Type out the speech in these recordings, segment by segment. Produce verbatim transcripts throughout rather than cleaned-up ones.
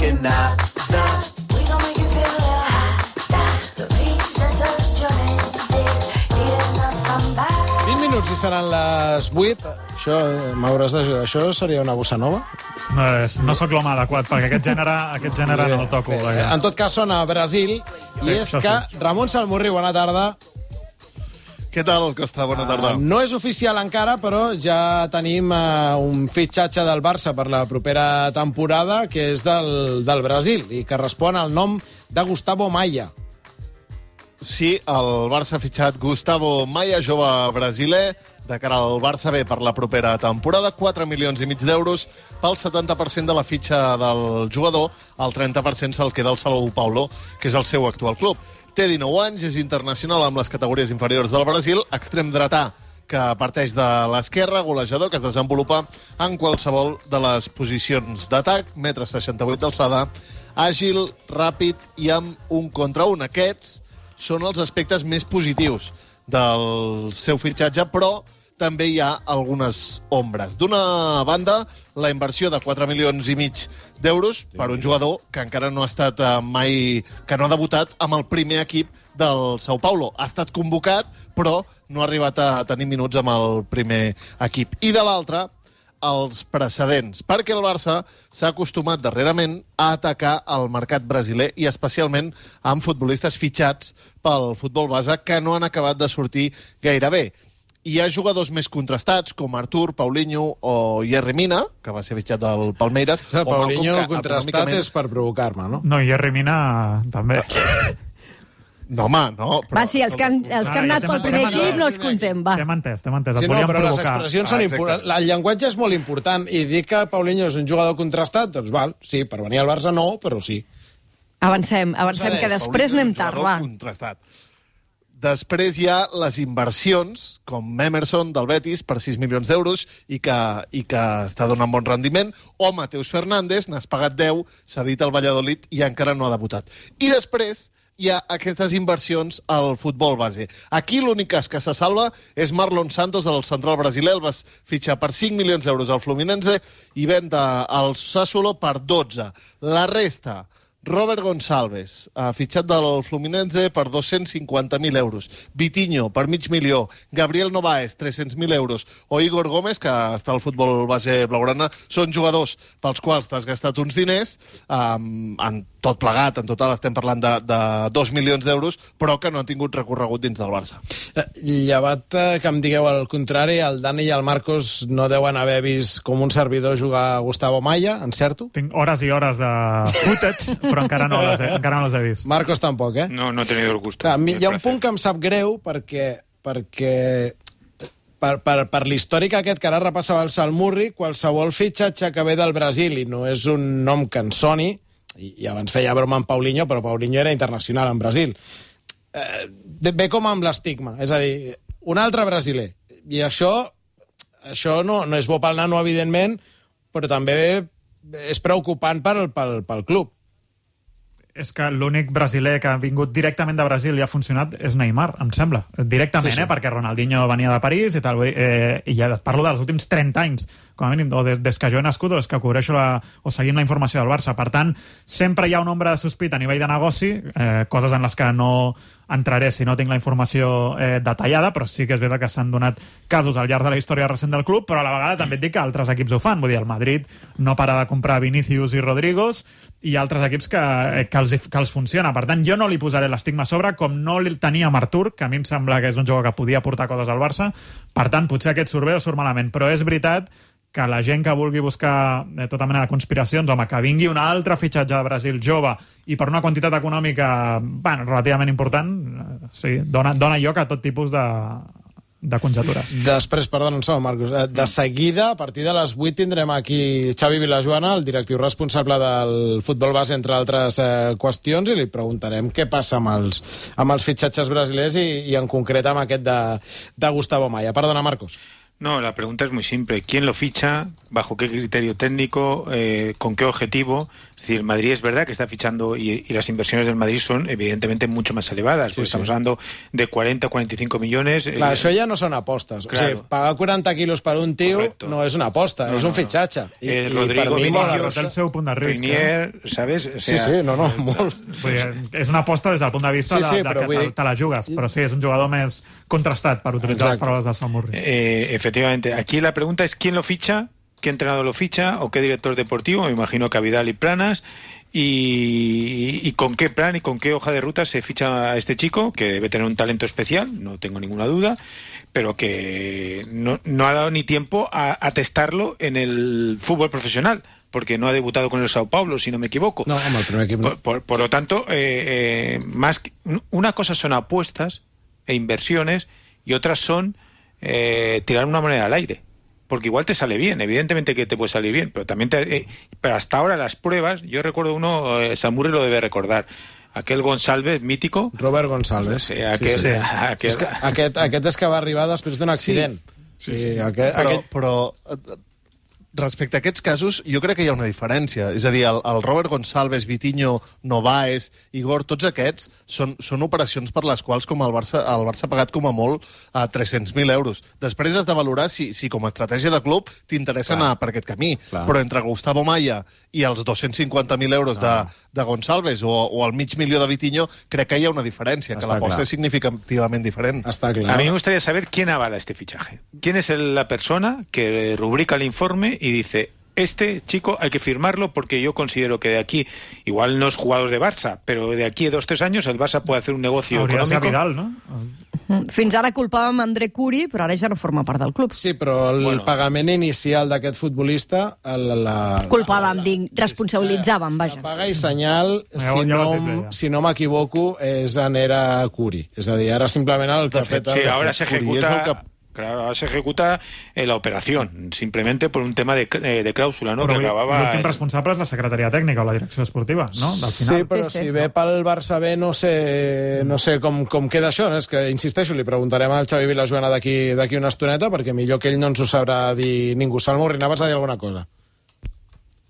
que nah, nah. vint minuts i seran les vuit. Això, m'hauràs d'ajudar. Això seria una bossa nova? No, és, no sóc l'home adequat, perquè aquest gènere, aquest gènere no el toco. Bé, Perquè... en tot cas, sona Brasil, Sí, i és això que sí. Ramon Salmurri, bona tarda. Què tal, Costa? Bona tarda. Uh, no és oficial encara, però ja tenim uh, un fitxatge del Barça per la propera temporada, que és del, del Brasil, i que respon al nom de Gustavo Maia. Sí, el Barça ha fitxat Gustavo Maia, jove brasiler, de cara al Barça B per la propera temporada. quatre milions i mig d'euros pel setanta per cent de la fitxa del jugador. El trenta per cent se'l queda el São Paulo, que és el seu actual club. Té dinou anys, és internacional amb les categories inferiors del Brasil, extrem dretà, que parteix de l'esquerra, golejador, que es desenvolupa en qualsevol de les posicions d'atac, metre seixanta-vuit d'alçada, àgil, ràpid i amb un contra un. Aquests són els aspectes més positius del seu fitxatge, però també hi ha algunes ombres. D'una banda, la inversió de quatre milions i mig d'euros per un jugador que encara no ha estat mai, que no ha debutat amb el primer equip del São Paulo. Ha estat convocat, però no ha arribat a tenir minuts amb el primer equip. I de l'altra, els precedents, perquè el Barça s'ha acostumat darrerament a atacar el mercat brasiler i especialment amb futbolistes fitxats pel futbol base que no han acabat de sortir gaire bé. Hi ha jugadors més contrastats, com Artur, Paulinho o Yerry Mina, que va ser fitxat del Palmeiras. O Paulinho contrastat econòmicament... és per provocar-me, no? No, Yerry Mina també. No, home, no. Però... Va, sí, els que han, els que han anat pel primer equip no els contem, va. T'hem entès, t'hem entès. Sí, no, però les expressions són ah, importants. El llenguatge és molt important. I dir que Paulinho és un jugador contrastat, doncs val, sí, per venir al Barça no, però sí. Avancem, avancem, que després anem tard, va. Contrastat. Després hi ha les inversions, com Emerson del Betis, per sis milions d'euros, i que, i que està donant bon rendiment, o Mateus Fernández, n'has pagat deu, s'ha dit al Valladolid i encara no ha debutat. I després hi ha aquestes inversions al futbol base. Aquí l'únic cas que se salva és Marlon Santos, del central brasiler. El va fitxar per cinc milions d'euros al Fluminense i venda al Sassuolo per dotze. La resta... Robert Gonçalves, fitxat del Fluminense per dos-cents cinquanta mil euros. Vitinho, per mig milió. Gabriel Novaes, tres-cents mil euros. O Igor Gómez, que està al futbol base blaugrana. Són jugadors pels quals t'has gastat uns diners, um, en tot plegat, en total estem parlant de, de dos milions d'euros, però que no han tingut recorregut dins del Barça. Llevat que em digueu el contrari, el Dani i el Marcos no deuen haver vist com un servidor jugar a Gustavo Maia, encerto? Tinc hores i hores de footage, però encara no les he, encara no les he vist. Marcos tampoc, eh? No, no he tenido el gusto. Clar, hi ha un punt que em sap greu perquè, perquè per, per, per l'històric aquest que ara repassava el Salmurri, qualsevol fitxatge que ve del Brasil i no és un nom que en soni, i, i abans feia broma amb Paulinho, però Paulinho era internacional en Brasil, eh, ve com amb l'estigma, és a dir, un altre brasiler. I això, això no, no és bo pel nano, evidentment, però també és preocupant pel, pel, pel club. És que l'únic brasiler que ha vingut directament de Brasil i ha funcionat és Neymar, em sembla. Directament, sí, sí. eh? Perquè Ronaldinho venia de París i tal. Eh, I ja et parlo dels últims trenta anys, com a mínim, o des, des que jo he nascut o des que cobreixo la, o seguim la informació del Barça. Per tant, sempre hi ha una ombra de sospita a nivell de negoci, eh, coses en les que no entraré si no tinc la informació eh, detallada, però sí que és veritat que s'han donat casos al llarg de la història recent del club, però a la vegada també et dic que altres equips ho fan. Vull dir, el Madrid no para de comprar Vinícius i Rodrigos i altres equips que, que, els, que els funciona. Per tant, jo no li posaré l'estigma a sobre, com no li tenia amb Artur, que a mi em sembla que és un jugador que podia portar coses al Barça. Per tant, potser aquest surt bé o surt malament, però és veritat que la gent que vulgui buscar eh, tota mena de conspiracions, home, que vingui un altre fitxatge de Brasil jove i per una quantitat econòmica bueno, relativament important, eh, sí, dona, dona lloc a tot tipus de, de conjectures. Després, perdona, un segon, Marcos, de seguida, a partir de les vuit, tindrem aquí Xavi Vilajoana, el directiu responsable del futbol base, entre altres eh, qüestions, i li preguntarem què passa amb els, amb els fitxatges brasilers i, i en concret amb aquest de, de Gustavo Maia. Perdona, Marcos. No, la pregunta es muy simple. ¿Quién lo ficha? ¿Bajo qué criterio técnico? Eh, ¿Con qué objetivo? Es decir, el Madrid es verdad que está fichando y, y las inversiones del Madrid son evidentemente mucho más elevadas. Sí, pues sí. Estamos hablando de cuarenta, cuarenta y cinco millones. Clar, eh, això ja no són apostes. Claro. O sigui, pagar quaranta quilos per un tio Correcto. No és una aposta, no, és un no, fitxatge. I, eh, Rodrigo Vinicius, el seu punt de risc. Rinier, ¿sabes? O sea, sí, sí, no, no, molt. Vull dir, és una aposta des del punt de vista sí, sí, de, de que te, te la jugues, però sí, és un jugador més contrastat, per utilitzar Exacte. Les paraules del Salmurri. Eh, efectivamente. Aquí la pregunta es ¿quién lo ficha? ¿Qué entrenador lo ficha? ¿O qué director deportivo? Me imagino que a Vidal y Planas. Y, y con qué plan y con qué hoja de ruta se ficha a este chico, que debe tener un talento especial, no tengo ninguna duda, pero que no, no ha dado ni tiempo a, a testarlo en el fútbol profesional, porque no ha debutado con el Sao Paulo, si no me equivoco. No, hombre, el primer equipo. Por, por, por lo tanto, eh, eh, más que, una cosa son apuestas e inversiones y otras son eh, tirar una moneda al aire. Porque igual te sale bien, evidentemente que te puede salir bien, pero también te, eh, pero hasta ahora las pruebas, yo recuerdo uno, eh, Samurri lo debe recordar, aquel Gonçalves mítico. Robert Gonçalves. Sí, aquel, sí, sí. Aquel... És que aquest, aquest és que va arribar després d'un accident. Sí, sí, sí. sí. Aquest, però, aquest... però respecte a aquests casos, jo crec que hi ha una diferència. És a dir, el, el Robert Gonçalves, Vitinho, Novaes, Igor, tots aquests són, són operacions per les quals com el Barça, el Barça ha pagat com a molt a tres-cents mil euros. Després has de valorar si, si com a estratègia de club t'interessa anar per aquest camí. Clar. Però entre Gustavo Maya i els dos-cents cinquanta mil euros de, de Gonçalves o, o el mig milió de Vitinho, crec que hi ha una diferència, Està que l'aposta és significativament diferent. Està clar. A mí me gustaría saber quién avala este fichaje. ¿Quién es el, la persona que rubrica el informe y dice, este chico hay que firmarlo porque yo considero que de aquí, igual no es jugador de Barça, pero de aquí a dos o tres años el Barça puede hacer un negocio Hauria econòmic. Vidal, no? Fins ara culpàvem André Curi, però ara ja no forma part del club. Sí, però el bueno. pagament inicial d'aquest futbolista... La, la, culpàvem, dic, responsabilitzàvem, vaja. La paga i senyal, si no, si no m'equivoco, és en era Curi. És a dir, ara simplement el que ha fet... Sí, ara s'ejecuta... Claro, ahora se ejecuta eh, la operación, simplemente por un tema de, eh, de cláusula, ¿no? Però que acabava... l'últim responsable és la secretaria tècnica o la direcció esportiva, no? Del final. Sí, però sí, sí. si ve pel Barça B no sé, no sé com, com queda això, no? És que, insisteixo, li preguntarem al Xavi Vilajoana d'aquí d'aquí una estoneta, perquè millor que ell no ens ho sabrà dir ningú. Salmurri, anaves a dir alguna cosa?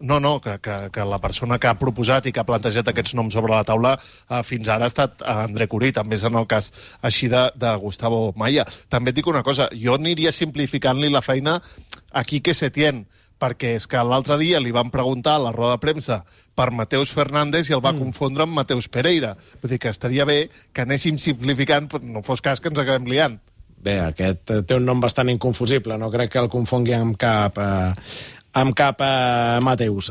No, no, que, que, que la persona que ha proposat i que ha plantejat aquests noms sobre la taula eh, fins ara ha estat André Curí, també és en el cas així de, de Gustavo Maya. També et dic una cosa, jo aniria simplificant-li la feina a Quique Setién, perquè és que l'altre dia li van preguntar a la roda de premsa per Mateus Fernández i el va mm. confondre amb Mateus Pereira. Vull dir que estaria bé que anéssim simplificant, però no fos cas que ens acabem liant. Bé, aquest té un nom bastant inconfusible, no crec que el confongui amb cap... Eh... amb cap a Mateus.